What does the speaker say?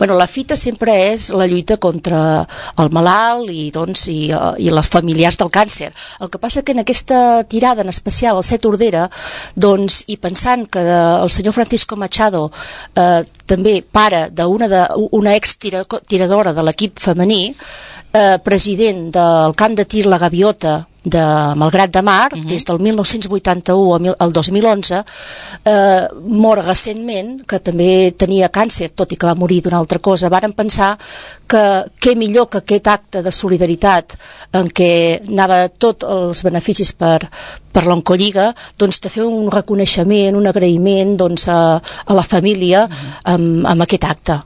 Bueno, la fita sempre és la lluita contra el malalt i les familiars del càncer. El que passa que en aquesta tirada en especial, el 7 Ordera, doncs, i pensant que el senyor Francisco Machado també pare d'una ex-tiradora de l'equip femení, president del camp de tir La Gaviota de Malgrat de Mar, des del 1981 al 2011, mor recentment, que també tenia càncer, tot i que va morir d'una altra cosa. Varen pensar que què millor que aquest acte de solidaritat en què anava tots els beneficis per l'Oncolliga, doncs de fer un reconeixement, un agraïment a la família amb aquest acte.